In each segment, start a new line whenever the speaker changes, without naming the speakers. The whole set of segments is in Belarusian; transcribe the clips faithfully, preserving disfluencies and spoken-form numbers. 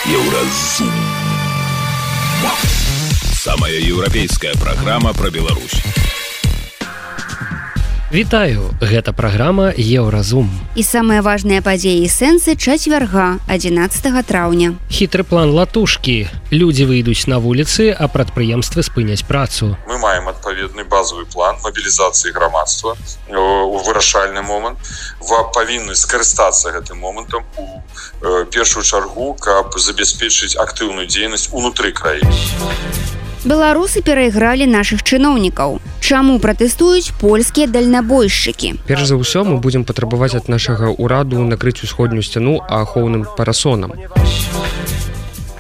Еўразум. Самая еўрапейская праграма пра Беларусь.
Вітаю, гэта праграма Еўразум.
І самыя важныя падзеі і сэнсы чацвярга, адзінаццатага траўня.
Хітры план латушкі. Людзі выйдуць на вуліцы, а прадпрыемствы спыняць працу.
Мы маем адпаведны базавы план мабілізацыі грамадства у вырашальны момант. Вы павінны скарыстацца гэтым момантам у першую чаргу, каб забяспечыць актыўную дзейнасць унутры краіны.
Беларусы перайгралі нашых чыноўнікаў. Чаму пратэстуюць польскія дальнабойшчыкі?
Перш за ўсё мы будзем патрабаваць ад нашага ўраду накрыць усходнюю сцяну ахоўным парасонам.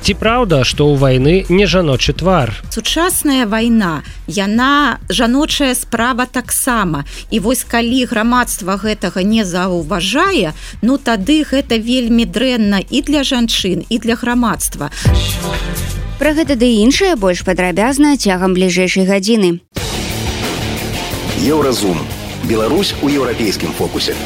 Ці праўда, што ў вайны не жаночы твар?
Сучасная вайна, яна жаночая справа таксама. І вось калі грамадства гэтага не заўважае, ну тады гэта вельмі дрэнна і для жанчын, і для грамадства.
Пра гэта ды іншае больш падрабязна цягам бліжэйшай гадзіны.
Еўразум. Беларусь у еўрапейскім фокусе.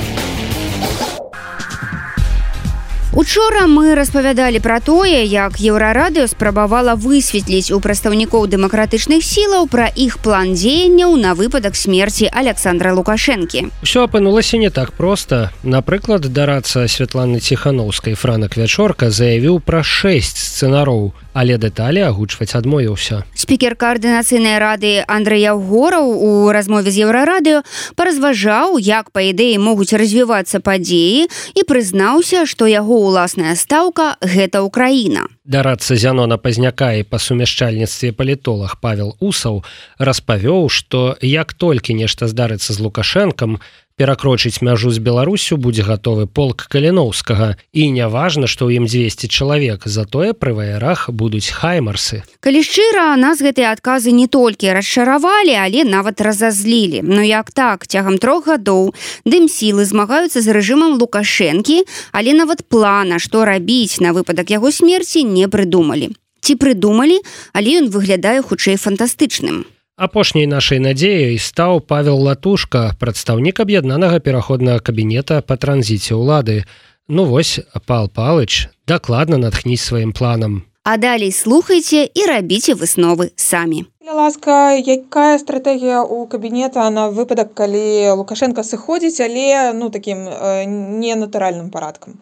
Учора мы распавядалі пра тое, як Еўрарадыё спрабавала высветліць у прадстаўнікоў дэмакратычных сілаў пра іх план дзеянняў на выпадак смерці Александра Лукашэнкі.
Усё апынулася не так проста. Напрыклад, дарадца Святланы Ціханаўскай Франак Вячорка заявіў пра шэсць сцэнароў, але дэталі агучваць адмовіўся.
Спікер каардынацыйнай рады Андрэй Яўгораў у размове з Еўрарадыё паразважаў, як, па ідэі, могуць развівацца падзеі і прызнаўся, што яго уласная стаўка – гэта Украіна.
Дарадца Зянона Пазняка і па сумяшчальніцтве палітолаг Павел Усаў распавёў, што як толькі нешта здарыцца з Лукашэнкам, перакрочыць мяжу з Беларусю будзе гатовы полк Каліноўскага. І не важна, што ў ім дзвесце чалавек, затое пры ваярах будуць хаймарсы.
Калі шчыра, нас гэтыя адказы не толькі расчаравалі, але нават разазлілі. Ну як так, цягам трох гадоў дымсілы змагаюцца з рэжымам Лукашэнкі, але нават плана, што рабіць на выпадак яго смерці, не прыдумалі. Ці прыдумалі, але ён выглядае хутчэй фантастычным.
Апошняй нашай надзеяй стаў Павел Латушка, прадстаўнік аб'яднанага пераходнага кабінета па транзіце ўлады. Ну вось, Пал Палыч, дакладна натхніць сваім планам.
А далей слухайце і рабіце высновы самі.
Ласка, якая стратэгія ў кабінета на выпадак, калі Лукашенка сыходзіць, але ну такім э, ненатуральным парадкам?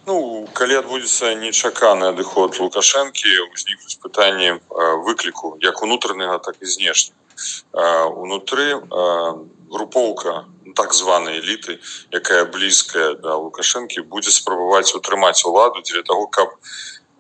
Ну, калі адбудзецца нечаканы адыход Лукашэнкі, узнікнуць пытанні выкліку як унутранага, так і знешняга. Унутры групоўка так званай эліты, якая блізкая да Лукашэнкі, будзе спрабаваць утрымаць уладу дзеля таго, каб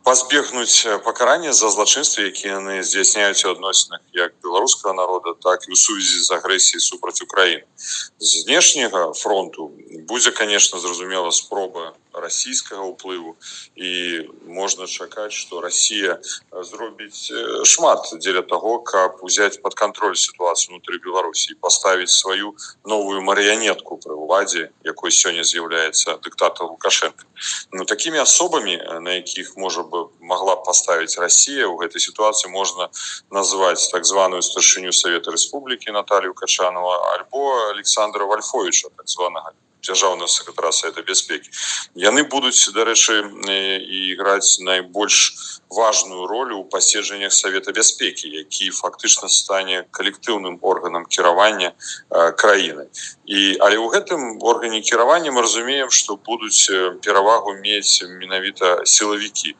пазбегнуць пакарання за злачынствы, якія яны здзяйсняюць у адносінах як беларускага народа, так і ў сувязі з агрэсіяй супраць Украіны. З знешняга фронту будзе, конечно, зразумела спроба расійскага ўплыву, і можна чакаць, што Расія зробіць шмат дзеля таго, каб узяць пад кантроль сітуацыю ўнутры Беларусі і паставіць сваю новую марыянетку пры ўладзе, якой сёння з'яўляецца дыктатар Лукашенко. Ну, такімі асобамі, на якіх можа бы могла паставіць Расія ў гэтай сітуацыі, можна назваць так званую старшыню Савета Рэспублікі Наталью Качанова альбо Александра Вальфовіча, так званага дзяржаўнага сакратара Савета бяспекі. Яны будуць, дарэчы, і іграць найбольш важную ролю ў паседжаннях Савета бяспекі, які фактычна стане калектыўным органам кіравання краіны. І, але ў гэтым органе кіравання мы разумеем, што будуць перавагу мець менавіта сілавікі,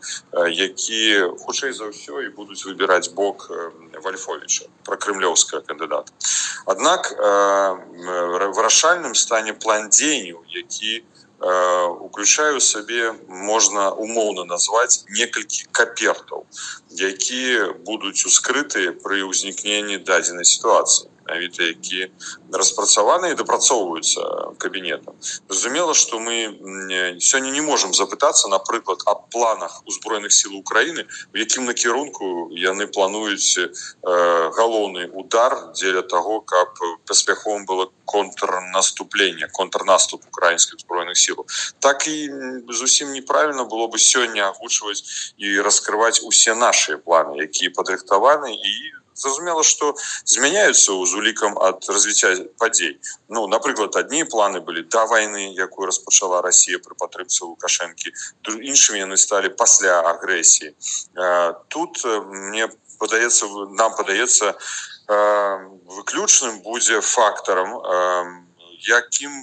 якія хутчэй за ўсё і будуць выбіраць бок Вальфовіча, пракрэмлёўскага кандыдата. Аднак вырашальным стане план дзеянняў, які уключае ў сабе, можна умоўна назваць, некалькі капертаў, якія будуць ускрытыя пры ўзнікненні дадзенай сітуацыі, менавіта які распрацаваны і дапрацоўваюцца кабінетам. Зразумела, што мы сёння не можам запытацца, напрыклад, аб планах узброеных сіл Украіны, у якім накірунку яны плануюць галоўны удар дзеля таго, каб паспяховым было контрнаступленне, контрнаступ украінскіх узброеных сілаў. Так і зусім неправільна было бы сёння агучваць і раскрываць усе нашыя планы, якія падрыхтаваны і Зразумела, што змяняюцца з улікам ад развіцця падзей. Ну, напрыклад, адні планы былі да вайны, якую распачала Расія пры падтрымцы Лукашэнкі, іншымі яны сталі пасля агрэсіі. Тут мне падаецца, нам падаецца, выключным будзе фактарам, якім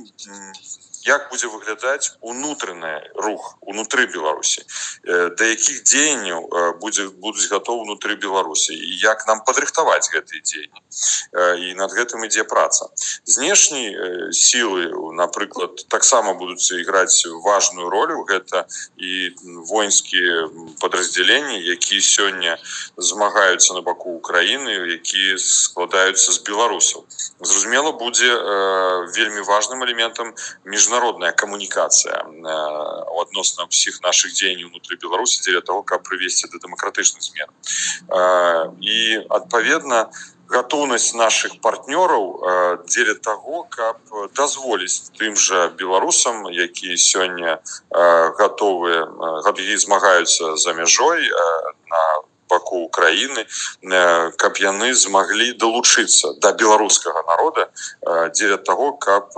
як будзе выглядаць унутраны рух унутры Беларусі, да якіх дзеянняў будзе будуць гатовы унутры Беларусі і як нам падрыхтаваць гэтыя дзеянні. І над гэтым ідзе праца. Знешнія сілы, напрыклад, таксама будуць іграць важную ролю. Гэта і воінскія падраздзяленні, якія сёння змагаюцца на баку Украіны, якія складаюцца з беларусаў. Зразумела, будзе вельмі важным элементам міжнародная камунікацыя адносна ўсіх нашых дзеянняў унутры Беларусі дзеля того, каб прывесці да дэмакратычных змен. І, адпаведна, гатоўнасць нашых партнёраў дзеля таго, каб дазволіць тым жа беларусам, якія сёння гатовыя, якія змагаюцца за мяжой на баку Украіны, каб яны змаглі далучыцца да беларускага народа дзеля таго, каб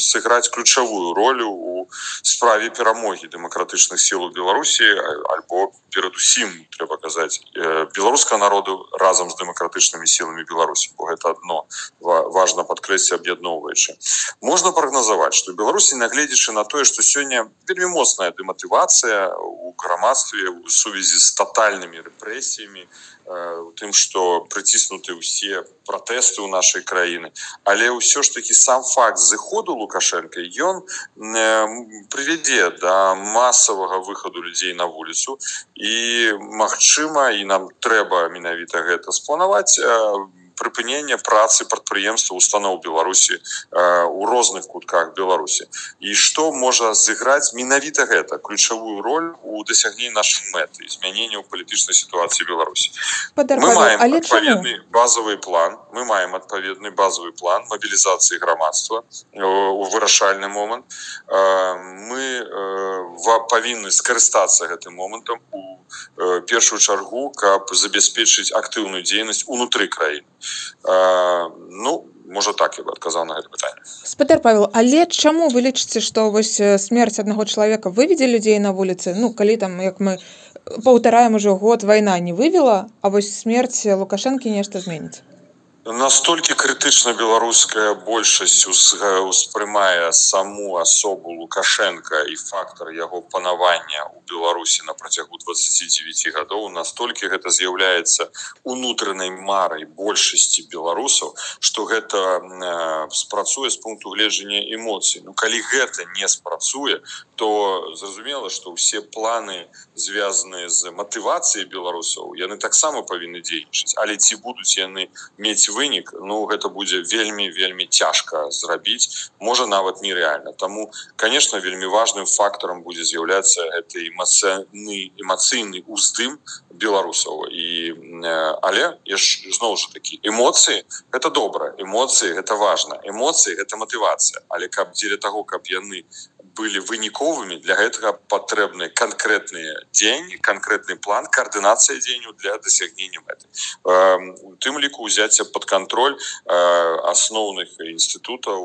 сыграць ключавую ролю у справе перамогі дэмакратычных сіл у Беларусі, альбо перадусім, трэба казаць, беларускага народу разам з дэмакратычнымі сіламі Беларусі, бо гэта адно важна падкрэсліць аб'ядноўваючы. Можна прагназаваць, што Беларусі, нагледзячы на тое, што сёння вельмі моцная дэматывацыя у грамадстве у сувязі з татальнымі рэпрэсіямі, у тым, што прыціснуты ўсе пратэсты ў нашай краіны. Але ўсё ж такі сам факт зыходу Лукашэнка, ён прывядзе да масавага выхаду людзей на вуліцу і, магчыма, і нам трэба менавіта гэта спланаваць, прыпынення працы прадпрыемства устаноў Беларусі у розных кутках Беларусі. І што можа зыграць менавіта гэта, ключавую роль у дасягненні нашай мэты, змянення ў палітычнай сітуацыі Беларусі. Мы маем адпаведны базовый план, мы маем адпаведны базовый план мобілізацыі грамадства у вырашальны момант. Мы павінны скарыстацца гэтым момантам у першую чаргу, каб забяспечыць актыўную дзейнасць унутры краіны. Ну, можа так я бы адказаў на гэта пытанне.
Спадар Павел, але чаму вы лічыце, што вось смерць аднаго чалавека выведзе людзей на вуліцы? Ну, калі там, як мы паўтараем ужо год, вайна не вывела, а вось смерць Лукашэнкі нешта зменіць?
Настолькі крытычна беларуская большасць успрымае саму асобу Лукашэнка і фактар яго панавання ў Беларусі на працягу дваццаці дзевяці гадоў, настолькі гэта з'яўляецца унутранай марай большасці беларусаў, што гэта спрацуе з пункту гледжання эмоцый. Ну, калі гэта не спрацуе, то зразумела, што ўсе планы, звязаныя з матывацыяй беларусаў, яны таксама павінны дзейнічаць. Але ці будуць яны мець вынік, ну, гэта будзе вельмі-вельмі цяжка зрабіць, можа нават нереальна. Таму, конечно, вельмі важным фактарам будзе з'яўляцца гэты эмацыйны, эмацыйны уздым беларусаў. І, але, зноў жа такі, эмоцыі – гэта добра, эмоцыі – гэта важна, эмоцыі – гэта матывацыя. Але каб дзеля таго, каб яны былі выніковымі, для гэтага патрэбны канкрэтныя дзеянні, канкрэтны план, каардынацыя дзеянняў для дасягнення мэты. У тым ліку ўзяцце пад кантроль асноўных інстытутаў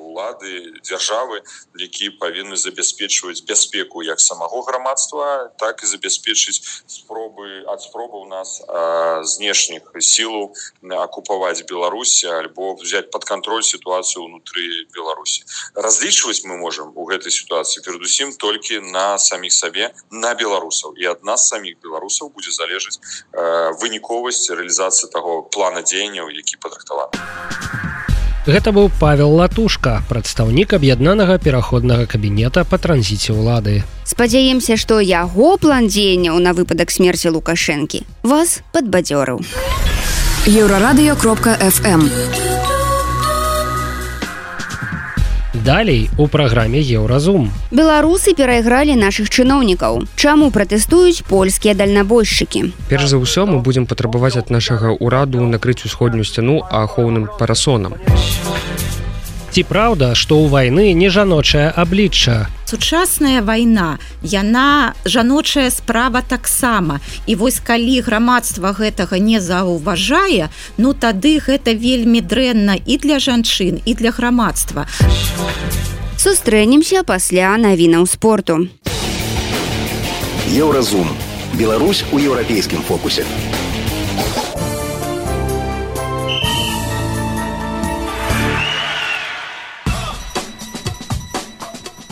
улады, дзяржавы, якія павінны забяспечваць бяспеку як самого грамадства, так і забяспечыць спробы ад спробаў нас знешніх сілаў акупаваць Беларусь альбо взять пад кантроль сітуацыю ўнутры Беларусі. Разлічваць мы можам у гэтай сітуацыі перадусім толькі на саміх сабе, на беларусаў. І ад нас саміх беларусаў будзе залежаць выніковасць рэалізацыі таго плана дзеянняў, які падрыхтаваны.
Гэта быў Павел Латушка, прадстаўнік аб'яднанага пераходнага кабінета па транзіце ўлады.
Спадзяемся, што яго план дзеянняў на выпадак смерці Лукашэнкі вас падбадзёрыў.
еўрарадыё кропка эф эм.
Далей у праграме Еўразум.
Беларусы перайгралі нашых чыноўнікаў. Чаму пратэстуюць польскія дальнабойшчыкі?
Перш за ўсё мы будзем патрабаваць ад нашага ўраду накрыць усходнюю сцяну ахоўным парасонам.
Ці праўда, што ў вайны не жаночае аблічча?
Сучасная вайна, яна жаночая справа таксама. І вось калі грамадства гэтага не заўважае, ну тады гэта вельмі дрэнна і для жанчын, і для грамадства.
Сустрэнемся пасля навінаў спорту.
Еўразум. Беларусь у еўрапейскім фокусе.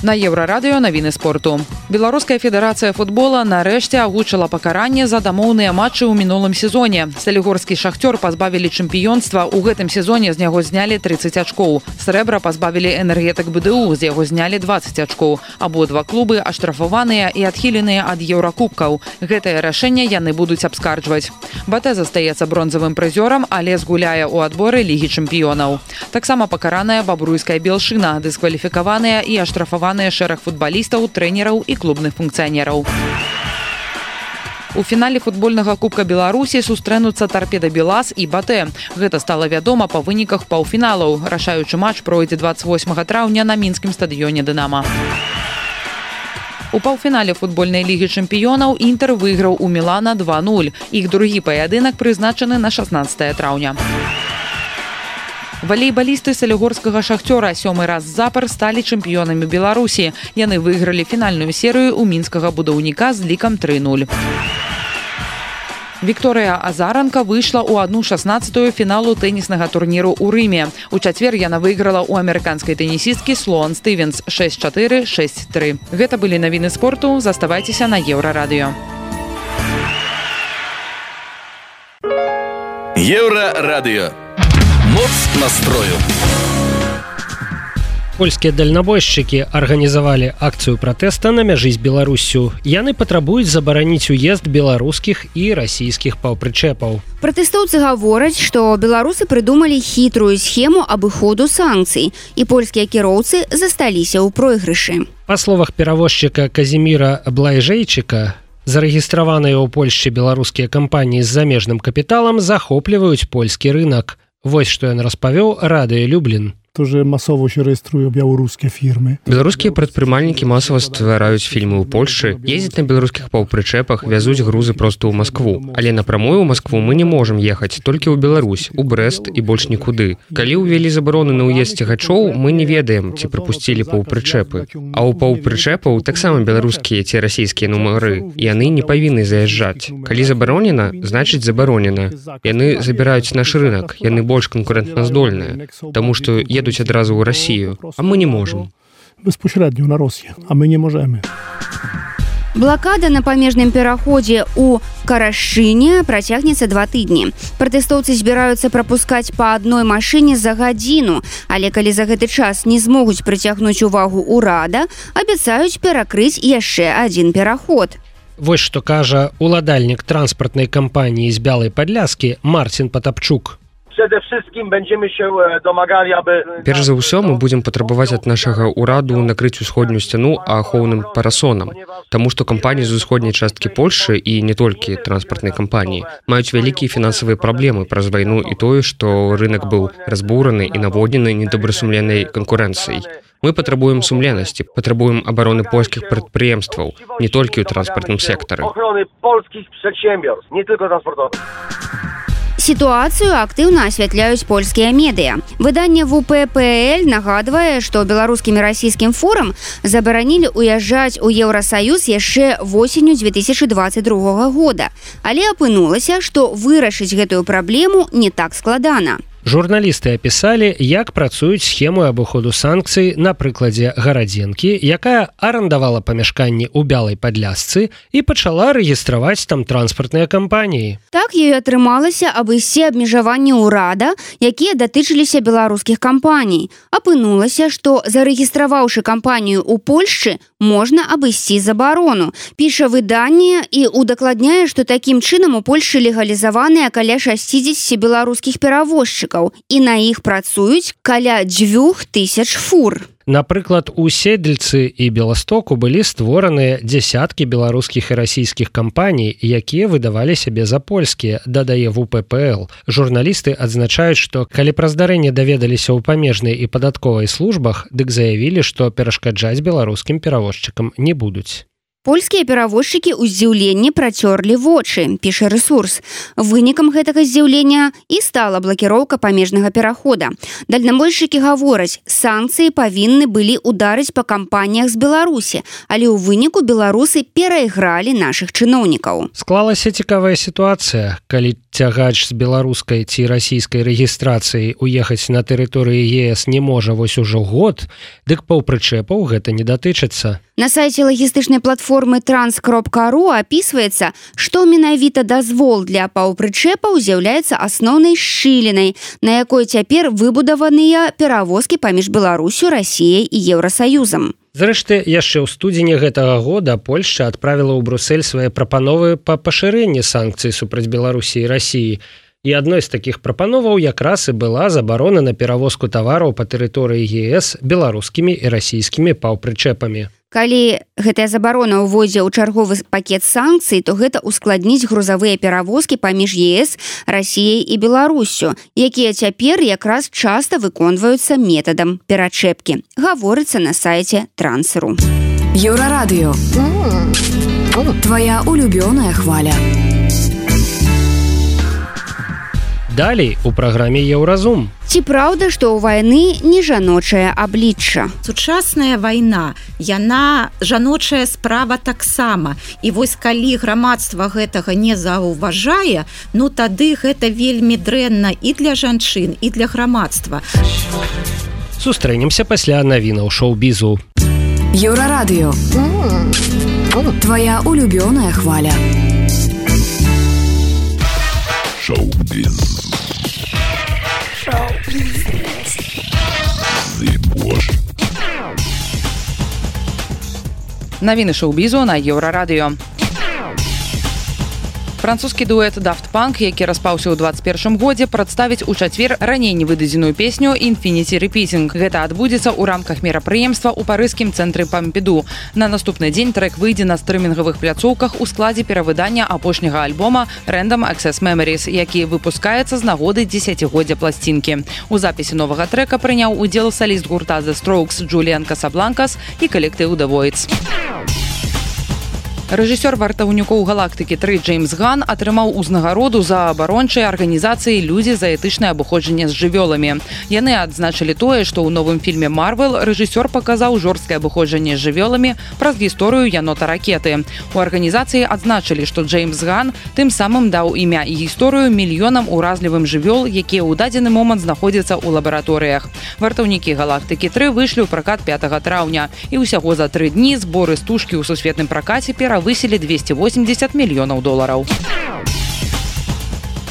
На Еўрарадыё навіны спорту. Беларуская федэрацыя футбола нарэшце агучыла пакаранне за дамоўныя матчы ў мінулым сезоне. Салігорскі шахцёр пазбавілі чэмпіёнства, у гэтым сезоне з яго знялі трыццаць ачкоў. Срэбра пазбавілі энергетык БДУ, з яго знялі дваццаць ачкоў. Абодва клубы аштрафаваныя і адхіленыя ад еўракубкаў. Гэтае рашэнне яны будуць абскарджваць. БТ застаецца бронзавым прызёрам, але згуляе ў адборы Лігі чэмпіёнаў. Таксама пакараная бабруйская Белшына, дыскваліфікаваная і аштрафаваная шэраг футбалістаў, трэнераў і клубных функцыянераў. У фінале футбольнага кубка Беларусі сустрэнуцца Тарпеда Белаз і БТ. Гэта стала вядома па выніках паўфіналаў. Рашаючы матч пройдзе дваццаць восьмага траўня на мінскім стадыёне «Дынама». У паўфінале футбольнай лігі чэмпіёнаў Інтэр выйграў у Мілана два нуль. Іх другі паядынак прызначаны на шаснаццатае траўня. Валейбалісты салігорскага шахцёра сёмы раз запар сталі чэмпіёнамі Беларусі. Яны выйгралі фінальную серыю ў мінскага будаўніка з лікам тры нуль. Вікторыя Азаранка выйшла ў адну шаснаццатую фіналу тэніснага турніру ў Рыме. У чацвер яна выйграла ў амерыканскай тэнісісткі Слоан Стывенс шэсць чатыры шэсць тры. Гэта былі навіны спорту. Заставайцеся на Еўрарадыё.
Еўрарадыё. Моц настрою.
Польскія дальнабойшчыкі арганізавалі акцыю пратэста на мяжы з Беларуссю. Яны патрабуюць забараніць уезд беларускіх і расійскіх паўпрычэпаў.
Пратэстоўцы гавораць, што беларусы прыдумалі хітрую схему абыходу санкцый, і польскія кіроўцы засталіся ў пройгрышы.
Па словах перавозчыка Казіміра Блайжэйчыка, зарэгістраваныя ў Польшчы беларускія кампаніі з замежным капіталам захопліваюць польскі рынак. Вось што ён распавёў Радыё Люблін.
Тоже масово się rejestrują białoruskie firmy.
Беларускія прадпрымальнікі масава ствараюць фільмы ў Польшчы, ездзяць на беларускіх паўпрычэпах, вязуць грузы проста ў Маскву. Але напрамую ў Маскву мы не можам ехаць, толькі ў Беларусь, у Брэст і больш нікуды. Калі ўвялі забароны на ўезд цягачоў, мы не ведаем, ці прапусцілі паўпрычэпы. А ў паўпрычэпаў таксама беларускія ці расійскія нумары, і яны не павінны заязджаць. Калі забаронена, значыць забаронена. Яны забіраюць наш рынак, яны больш канкурэнтназдольныя, таму што едуць адразу ў Расію, а мы не можам.
Безпосередньо на Росію, а ми не можемо.
Блакада на памежным пераходзе ў Карашыне працягнецца два тыдні. Пратэстоўцы збіраюцца прапускаць па адной машыне за гадзіну, але калі за гэты час не змогуць прыцягнуць увагу ўрада, абяцаюць перакрыць яшчэ адзін пераход.
Вось што кажа уладальнік транспартнай кампаніі з Бялай Падляскі Марцін Патапчук.
Перш за ўсё мы будзем патрабаваць ад нашага ўраду накрыць усходнюю сцяну ахоўным парасонам, таму што кампаніі з усходняй часткі Польшчы і не толькі транспартнай кампаніі маюць вялікія фінансавыя праблемы праз вайну і тое, што рынак быў разбураны і наводнены недобрасумленнай канкурэнцыяй. Мы патрабуем сумленнасці, патрабуем абароны польскіх прадпрыемстваў, не толькі ў транспартным сектары.
Сітуацыю актыўна асвятляюць польскія медыа. Выданне вэ пэ пэ эль нагадвае, што беларускім і расійскім фурам забаранілі ўязджаць у Еўрасаюз яшчэ восенню дзве тысячы дваццаць другога года. Але апынулася, што вырашыць гэтую праблему не так складана.
Журналісты апісалі, як працуюць схему абыходу санкцый на прыкладзе Гарадзенкі, якая арандавала памяшканні ў Бялай Падлясцы і пачала рэгістраваць там транспартныя кампаніі.
Так ёй атрымалася абысці абмежаванні ўрада, якія датычыліся беларускіх кампаній. Апынулася, што зарэгістраваўшы кампанію ў Польшчы, можна абысці забарону. Піша выданне і удакладняе, што такім чынам у Польшчы легалізаваныя каля шасцідзесяці беларускіх перавозчыкаў, і на іх працуюць каля дзвюх тысяч фур.
Напрыклад, у Седльцы і Беластоку былі створаныя дзясяткі беларускіх і расійскіх кампаній, якія выдавалі сябе за польскія, дадае вэ пэ пэ эл. Журналісты адзначаюць, што калі пра здарэнне даведаліся ў памежнай і падатковай службах, дык заявілі, што перашкаджаць беларускім перавозчыкам не будуць.
Польскія перавозчыкі ў здзіўленні працёрлі вочы, піша рэсурс. Вынікам гэтага здзіўлення і стала блакіроўка памежнага перахода. Дальнабойшчыкі гавораць, санкцыі павінны былі ударыць па кампаніях з Беларусі, але ў выніку беларусы перайгралі нашых чыноўнікаў.
Склалася цікавая сітуацыя, калі цягач з беларускай ці расійскай рэгістрацыяй уехаць на тэрыторыі е эс не можа вось ужо год, дык паўпрычэпаў гэта не датычыцца.
На сайце лагістычнай платформы транс кропка ру апісваецца, што менавіта дазвол для паўпрычэпаў з'яўляецца асноўнай шчылінай, на якой цяпер выбудаваныя перавозкі паміж Беларусю, Расіяй і Еўрасаюзам.
Зрэшты, яшчэ ў студзені гэтага года Польшча адправіла ў Брусель свае прапановы па пашырэнні санкцый супраць Беларусі і Расіі. І адной з такіх прапановаў якраз і была забарона на перавозку тавараў па тэрыторыі е эс беларускімі і расійскімі паўпрычэпамі.
Калі гэтая забарона ўводзе ў чарговы пакет санкцый, то гэта ускладніць грузавыя перавозкі паміж е эс, Расіяй і Беларуссю, якія цяпер якраз часта выконваюцца метадам перачэпкі. Гаворыцца на сайце Трансру.
Еўрарадыё. Твоя улюбёная хваля.
Далей у праграме Еўразум.
Ці праўда, што ў вайны не жаночае аблічча?
Сучасная вайна, яна жаночая справа таксама. І вось калі грамадства гэтага не заўважае, ну тады гэта вельмі дрэнна і для жанчын, і для грамадства.
Сустрэнемся пасля навінаў шоу-бізу.
Еўрарадыё. Твоя улюбёная хваля.
Шоу-біз.
Навіны шоу-бізу на Еўрарадыё. Французскі дуэт Daft Punk, які распаўся ў двадцать першым годзе, прадставіць у чацвер раней невыдадзеную песню Infinity Repeating. Гэта адбудзецца ў рамках мерапрыемства ў парыжскім цэнтры Пампіду. На наступны дзень трэк выйдзе на стрымінгавых пляцоўках у складзе перавыдання апошняга альбома Random Access Memories, які выпускаецца з нагоды дзесяцігоддзя пласцінкі. У запісе новага трэка прыняў удзел саліст гурта The Strokes Джуліан Касабланкас і калектыў The Voids. Рэжысёр вартаўнікоў галактыкі тры Джеймс Ган атрымаў узнагароду за абарончыя арганізацыі «Людзі за этычнае абыходжанне з жывёламі». Яны адзначылі тое, што ў новым фільме «Марвел» рэжысёр паказаў жорсткае абыходжанне з жывёламі праз гісторыю янота-ракеты. У арганізацыі адзначылі, што Джеймс Ган тым самым даў імя і гісторыю мільёнам уразлівым жывёл, якія ў дадзены момант знаходзяцца ў лабараторыях. Вартаўнікі галактыкі тры выйшлі ў пракат пятага траўня, і ўсяго за тры дні зборы стужкі ў сусветным пракаце перавысілі высілі двести восемьдесят мільёнаў долараў.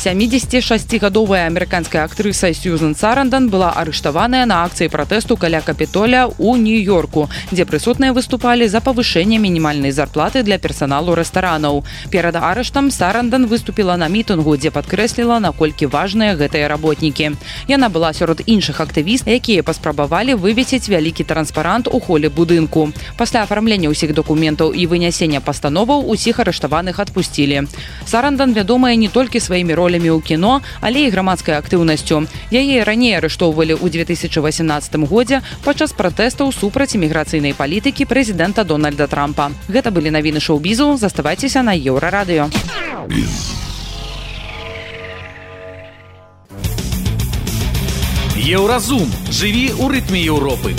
сямідзесятишасцігадовая амерыканская актрыса Сьюзан Сарандон была арыштаваная на акцыі пратэсту каля Капітолія ў Нью-Йорку, дзе прысутныя выступалі за павышэнне мінімальнай зарплаты для персаналу рэстаранаў. Перад арыштам Сарандон выступіла на мітынгу, дзе падкрэсліла, наколькі важныя гэтыя работнікі. Яна была сярод іншых актывістаў, якія паспрабавалі вывесіць вялікі транспарант у холе будынку. Пасля афармлення ўсіх дакументаў і вынясення пастановаў усіх арыштаваных адпусцілі. Сарандон вядомая не толькі сваімі роламі ў кіно, але і грамадскай актыўнасцю. Яе раней арыштоўвалі ў две тысячы васемнаццатым годзе падчас пратэстаў супраць іміграцыйнай палітыкі прэзідэнта Дональда Трампа. Гэта былі навіны шоу-бізу. Заставайцеся на Еўрарадыё.
Еўразум. Жыві ў рытме Еўропы.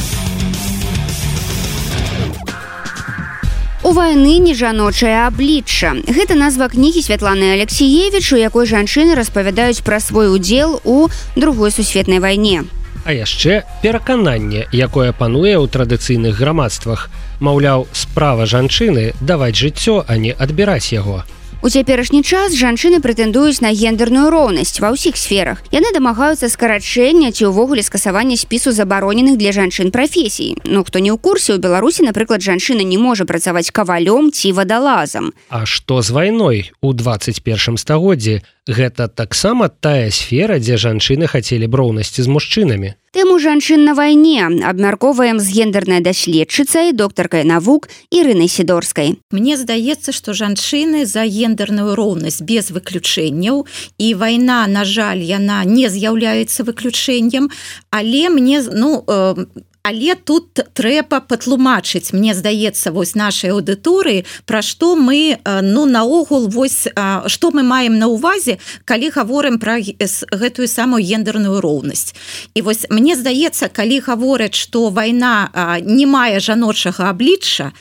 У вайны не жаночае аблічча. Гэта назва кнігі Святланы Алексіевіч, у якой жанчыны распавядаюць пра свой удзел у другой сусветнай вайне.
А яшчэ перакананне, якое пануе ў традыцыйных грамадствах. Маўляў, справа жанчыны даваць жыццё, а не адбіраць яго.
У цяперашні час жанчыны прэтэндуюць на гендерную роўнасць ва ўсіх сферах. Яны дамагаюцца скарачэння ці ўвогуле скасавання спісу забароненых для жанчын прафесій. Ну, хто не ў курсе, у Беларусі, напрыклад, жанчына не можа працаваць кавалём ці вадалазам.
А што з вайной? У двадцать першым стагоддзі гэта таксама тая сфера, дзе жанчыны хацелі б роўнасці з мужчынамі.
Тэму жанчын на вайне абмяркоўваем з гендернай даследчыцай, доктаркай навук Ірынай Сідорскай.
Мне здаецца, што жанчыны за гендерную роўнасць без выключэнняў, і вайна, на жаль, яна не з'яўляецца выключэннем, але мне, ну, э, але тут трэба патлумачыць, мне здаецца, вось нашай аўдыторыі, пра што мы, ну, наогул, вось, што мы маем на ўвазе, калі гаворым пра гэтую самую гендерную роўнасць. І вось мне здаецца, калі гавораць, што вайна не мае жаночага аблічча,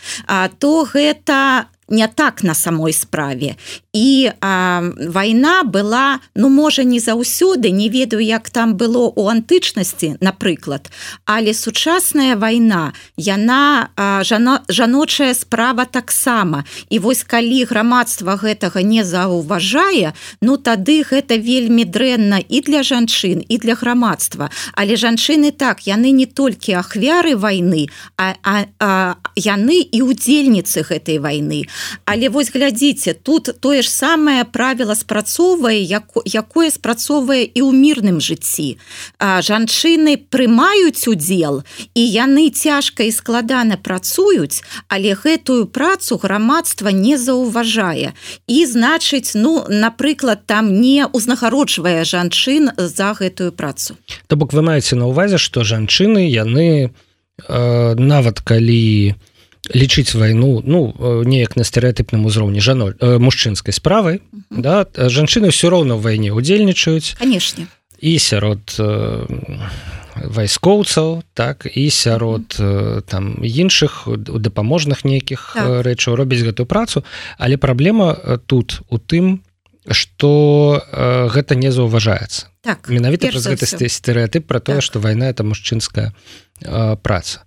то гэта не так на самой справе. І а, вайна была, ну, можа, не заўсёды, не ведаю, як там было ў антычнасці, напрыклад, але сучасная вайна, яна а, жано, жаночая справа таксама. І вось калі грамадства гэтага не заўважае, ну, тады гэта вельмі дрэнна і для жанчын, і для грамадства. Але жанчыны так, яны не толькі ахвяры вайны, а, а, а яны і удзельніцы гэтай вайны. Але вось глядзіце, тут тое ж самае правіла спрацоўвае, якое спрацоўвае і ў мірным жыцці. Жанчыны прымаюць удзел, і яны цяжка і складана працуюць, але гэтую працу грамадства не заўважае. І, значыць, ну, напрыклад, там не ўзнагароджвае жанчын за гэтую працу.
То бок вы маеце на ўвазе, што жанчыны, яны э, нават калі лічыць вайну, ну, неяк на стэрэатыпным узроўні жано, э, мужчынскай справы, uh-huh. да, жанчыны ўсё роўна ў вайне удзельнічаюць.
Канешне.
І сярод э, вайскоўцаў, так, і сярод э, там іншых дапаможных нейкіх так. рэчаў робяць гэтую працу, але праблема тут у тым, што э, гэта не заўважаецца.
Так,
менавіта праз гэты стэрэатып пра тое, так. што вайна это мужчынская э, праца.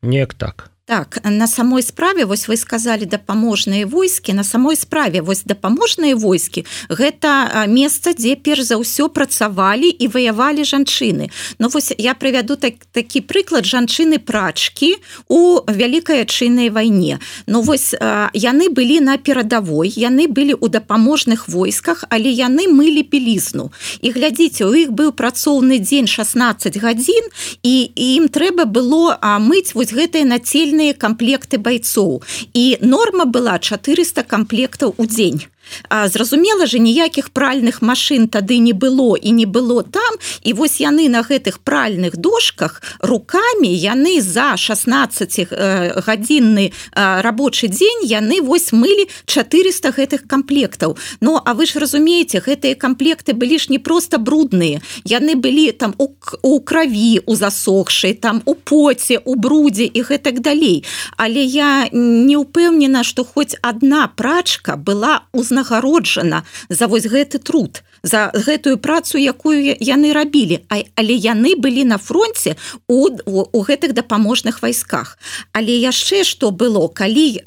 Неяк так.
Так, на самой справе, вось вы сказалі дапаможныя войскі, на самой справе, вось дапаможныя войскі, гэта месца, дзе перш за ўсё працавалі і ваявалі жанчыны. Ну, вось я прывяду так, такі прыклад жанчыны-прачкі у Вялікай Адчайнай вайне. Ну, вось яны былі на перадавой, яны былі ў дапаможных войсках, але яны мылі белізну. І глядзіце, у іх быў працоўны дзень шаснаццаць гадзін, і, і ім трэба было мыць вось гэтыя нацельныя комплекты бойцоў. І норма была чатырыста комплектаў у дзень. А, зразумела же, ніякіх пральных машын тады не было і не было там, і вось яны на гэтых пральных дошках рукамі, яны за шаснаццацігадзінны рабочы дзень, яны вось мылі чатырыста гэтых комплектаў. Ну, а вы ж разумееце, гэтыя комплекты былі ж не проста брудныя, яны былі там у, у краві, у засохшай, там у поце, у брудзе і гэтак далей. Але я не ўпэўнена, што хоць адна прачка была узнагароджана нагароджана за вось гэты труд, за гэтую працу, якую яны рабілі, але яны былі на фронте у, у, у гэтых дапаможных вайсках. Але яшчэ што было, калі,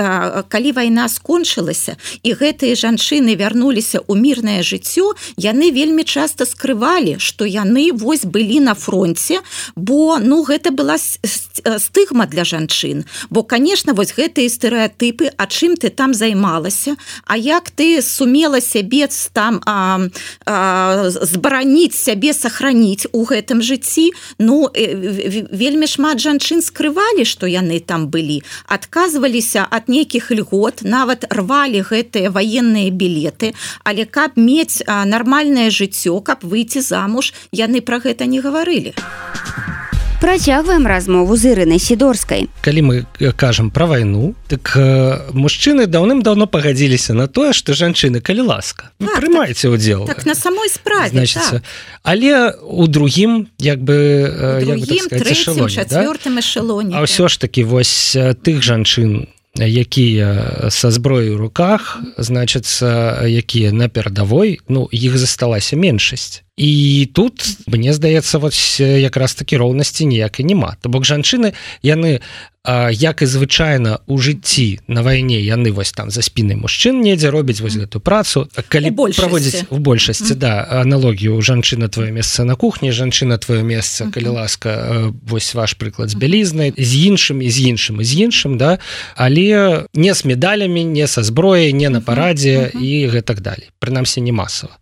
калі вайна скончылася і гэтыя жанчыны вярнуліся ў мірнае жыццё, яны вельмі часта скрывалі, што яны вось былі на фронте, бо, ну, гэта была стыгма для жанчын. Бо, конечно, вось гэтыя стэрэатыпы, а чым ты там займалася, а як ты сумела сябе там а, а, збараніць сябе, сохраніць у гэтым жыцці. Ну, вельмі шмат жанчын скрывалі, што яны там былі, адказваліся ад нейкіх льгот, нават рвалі гэтыя ваенныя білеты, але каб мець а, нармальнае жыццё, каб выйти замуж, яны пра гэта не гаварылі.
Працягваем размову з Ірынай Сідорскай.
Калі мы кажам пра вайну, так э, мужчыны даўным-даўно пагадзіліся на тое, што жанчыны, калі ласка, так, прымайце ўдзел.
Так, на самой справе,
Значыцца,
так.
Але ў другім, як бы,
у
як
другім,
бы, так сказаць,
трэцім,
эшелоне,
чацвёртым да? эшелоне.
А ўсё ж такі вось тых жанчын, якія са зброяй у руках, значыцца, якія на перадавой, ну, іх засталася меншасць. І тут, мне здаецца, вось якраз такі роўнасці ніякай няма. То бок жанчыны, яны, як і звычайна ў жыцці на вайне, яны вось там за спінай мужчын недзе робяць вось гэту працу. Калі праводзіць у большасці, да, аналогію жанчына твоё месца на кухні, жанчына твоё месца, калі ласка, вось ваш прыклад з бялізнай, з іншым і з іншым і з іншым, да, але не з медалямі, не са зброяй, не на парадзе і гэтак далей. Прынамсі, не масава.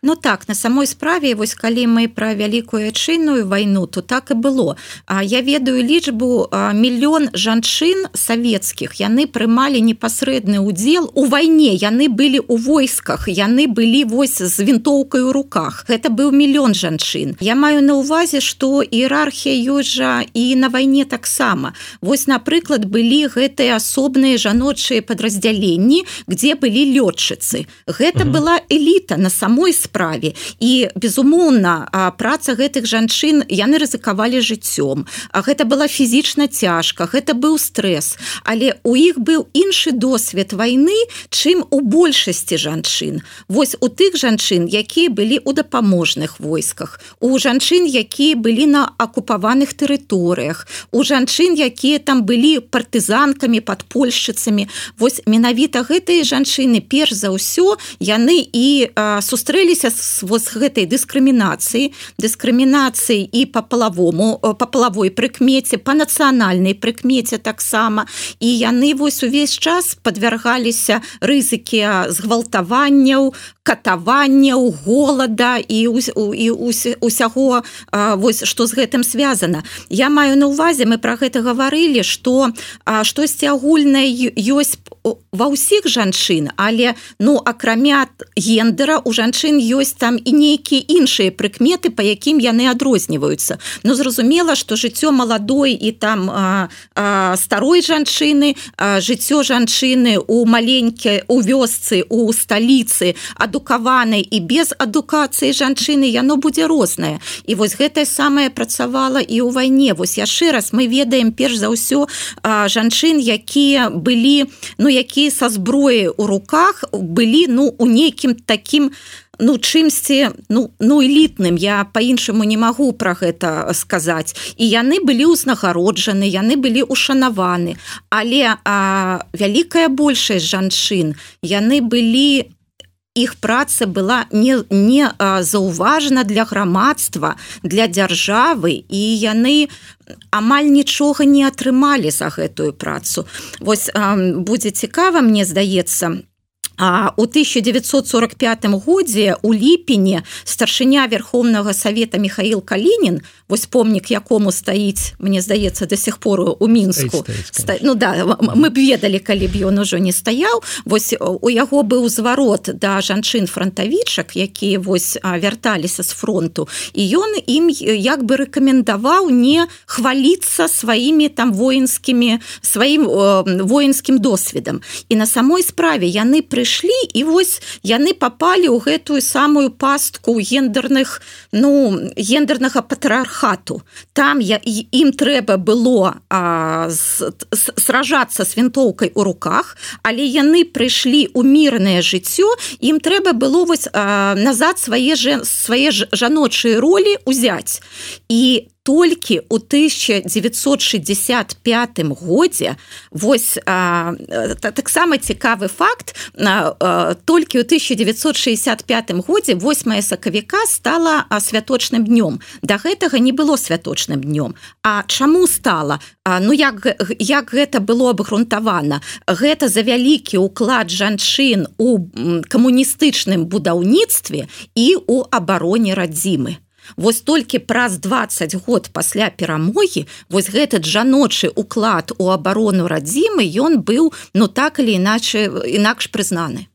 Ну так, на самой справе, вось калі мы пра вялікую айчынную вайну, то так і было. А я ведаю лічбу мільён жанчын савецкіх, яны прымалі непасрэдны ўдзел у вайне, яны былі ў войсках, яны былі вось з вінтоўкай у руках. Гэта быў мільён жанчын. Я маю на ўвазе, што іерархія ёсць жа і на вайне таксама. Вось, напрыклад, былі гэтыя асобныя жаночыя падраздзяленні, дзе былі лётчыцы. Гэта угу. была эліта на самой самой справе. І, безумоўна, праца гэтых жанчын, яны рызыкавалі жыццём. Гэта была фізічна цяжка, гэта быў стрэс. Але у іх быў іншы досвед вайны, чым у большасці жанчын. Вось у тых жанчын, якія былі ў дапаможных войсках, у жанчын, якія былі на акупаваных тэрыторыях, у жанчын, якія там былі партызанкамі, падпольшчыцамі. Вось менавіта гэтыя жанчыны, перш за ўсё, яны і а, сустрэліся з вось гэтай дыскрымінацыі, дыскрымінацыі і па палавому, па палавой прыкмеце, па нацыянальнай прыкмеце таксама. І яны вось увесь час падвяргаліся рызыкі згвалтаванняў, катаванняў, голада і, і усяго, вось, што з гэтым звязана. Я маю на ўвазе, мы пра гэта гаварылі, што штосьці агульнае ёсць ва ўсіх жанчын, але ну, акрамя гендера, у жанчын ёсць там і нейкія іншыя прыкметы, па якім яны адрозніваюцца. Ну, зразумела, што жыццё маладой і там а, а, старой жанчыны, а, жыццё жанчыны у маленькай, у вёсцы, у сталіцы, адукаванай і без адукацыі жанчыны, яно будзе рознае. І вось гэтае самае працавала і ў вайне. Вось яшчэ раз мы ведаем перш за ўсё а, жанчын, якія былі, ну, якія са зброяй у руках былі, ну, у нейкім такім, ну, чымсьці, ну, ну, элітным, я па-іншаму не магу пра гэта сказаць. І яны былі ўзнагароджаны, яны былі ушанаваны. Але а, вялікая большасць жанчын, яны былі, іх праца была не, не а, заўважана для грамадства, для дзяржавы, і яны амаль нічога не атрымалі за гэтую працу. Вось а, будзе цікава, мне здаецца, А у тысяча девятьсот сорок пятым годзе у ліпені старшыня Верховнага Савета Михаил Калінін, вось помнік якому стаіць, мне здаецца, до сих пор у Мінску.
Стаіць,
Ста... Ну да, мы б ведалі, калі б ён ужо не стаяў. Вось у яго быў зварот да жанчын-франтавічак, якія вось вярталіся з фронту, і ён ім як бы рэкамендаваў не хваліцца сваімі там воінскімі, сваім воінскім досведам. І на самой справе яны прыйшлі, і вось яны папалі ў гэтую самую пастку гендерных, ну, гендернага патрыархату. Там я, ім трэба было а, с, с, сражацца з вінтоўкай у руках, але яны прыйшлі ў мірнае жыццё, ім трэба было вось а, назад свае, свае жаночыя ролі ўзяць. І толькі ў тысяча девятьсот шестьдесят пятым годзе, вось а, таксама цікавы факт, а, а, толькі ў тысяча девятьсот шестьдесят пятым годзе восьмае сакавіка стала а, святочным днём. Да гэтага не было святочным днём. А чаму стала? А, ну як, як гэта было абгрунтавана? Гэта за вялікі ўклад жанчын у камуністычным будаўніцтве і ў абароне радзімы. Вось толькі праз дваццаць год пасля перамогі вось гэты жаночы уклад у абарону радзімы, ён быў, ну так или іначе, інакш прызнаны.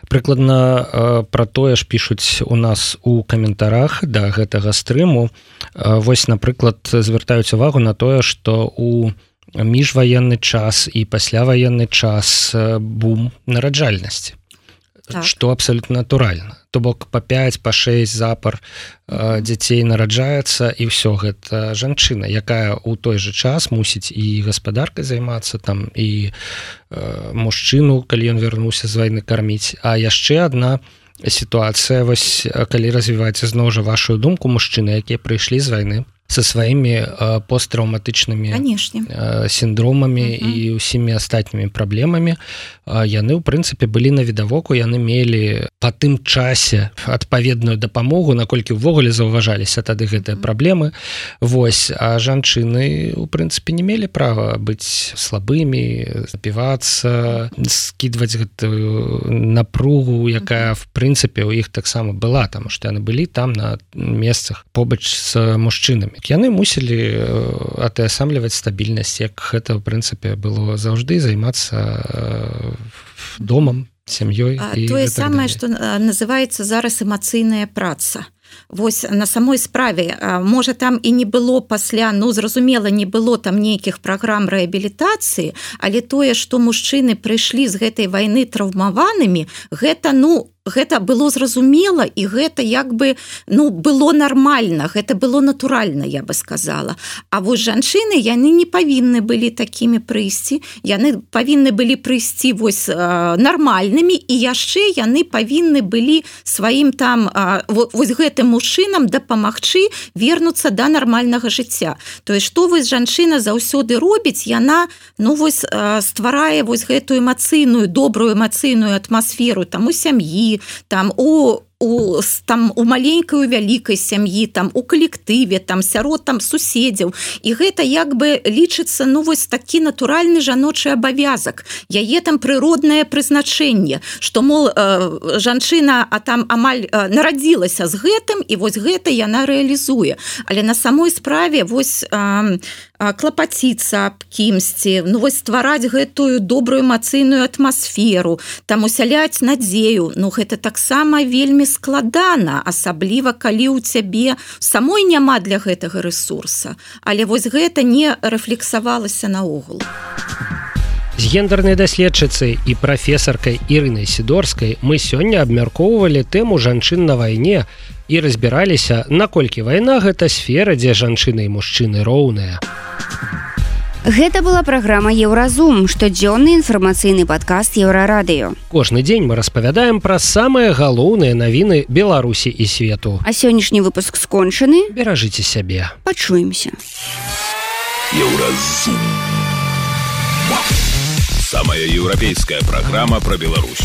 Прыкладна пра тое ж пішуць у нас у каментарах да гэтага стрыму. Вось, напрыклад, звяртаюць увагу на тое, што у міжваенны час і пасляваенны час бум нараджальнасці. Так. Што абсалютна натуральна. То бок па пяць, па шэсць запар э, дзяцей нараджаецца, і ўсё гэта жанчына, якая ў той жа час мусіць і гаспадаркай займацца там, і э, мужчыну, калі ён вярнуўся з вайны, карміць. А яшчэ адна сітуацыя, вось калі развіваецца зноў жа вашу думку, мужчыны, якія прыйшлі з вайны, со сваімі посттраўматычнымі сіндромамі uh -huh. і ўсімі астатнімі праблемамі. Яны ў прынцыпе былі на відавоку, яны мелі па тым часе адпаведную дапамогу, наколькі ўвогуле заўважаліся тады гэтыя праблемы. Вось, а жанчыны у прынцыпе не мелі права быць слабымі, запівацца, скідваць гэтую напругу, якая в прынцыпе у іх таксама была, таму што яны былі там на месцах побач з мужчынамі. Яны мусілі атаясамліваць стабільнасць, як гэта в прынцыпе было заўжды, займацца домам, сям'ёй.
Тое самае, што называецца зараз эмацыйная праца. Вось на самой справе, можа там і не было пасля, ну зразумела, не было там нейкіх праграм рэабілітацыі, але тое, што мужчыны прыйшлі з гэтай вайны траўмаванымі, гэта, ну, гэта было зразумела, і гэта як бы, ну, было нармальна, гэта было натуральна, я бы сказала. А вось жанчыны, яны не павінны былі такімі прыйсці, яны павінны былі прыйсці вось нармальнымі, і яшчэ яны павінны былі сваім там, вось гэтым мужчынам дапамагчы вернуцца да нармальнага жыцця. То есть, што вось жанчына заўсёды робіць, яна, ну, вось стварае вось гэтую эмацыйную, добрую эмацыйную атмасферу там у сям'і, там у у там у маленькай, у вялікай сям'і, там у калектыве, там сярод там суседзяў, і гэта як бы лічыцца, ну вось такі натуральны жаночы абавязак, яе там прыроднае прызначэнне, што мол жанчына а там амаль нарадзілася з гэтым, і вось гэта яна рэалізуе. Але на самой справе вось клапаціцца аб кімсьці, ну вось ствараць гэтую добрую эмацыйную атмасферу, там усяляць надзею, ну гэта таксама вельмі складана, асабліва калі ў цябе самой няма для гэтага рэсурса, але вось гэта не рэфлексавалася наогул.
З гендернай даследчыцай і прафесаркай Ірынай Сідорскай мы сёння абмяркоўвалі тэму жанчын на вайне і разбіраліся, наколькі вайна гэта сфера, дзе жанчыны і мужчыны роўныя.
Гэта была праграма Еўразум, штодзённы інфармацыйны падкаст Еўрарадыё.
Кожны дзень мы распавядаем пра самыя галоўныя навіны Беларусі і свету.
А сённяшні выпуск скончаны.
Беражыце сябе.
Пачуемся.
Еўразум. Самая еўрапейская праграма пра Беларусь.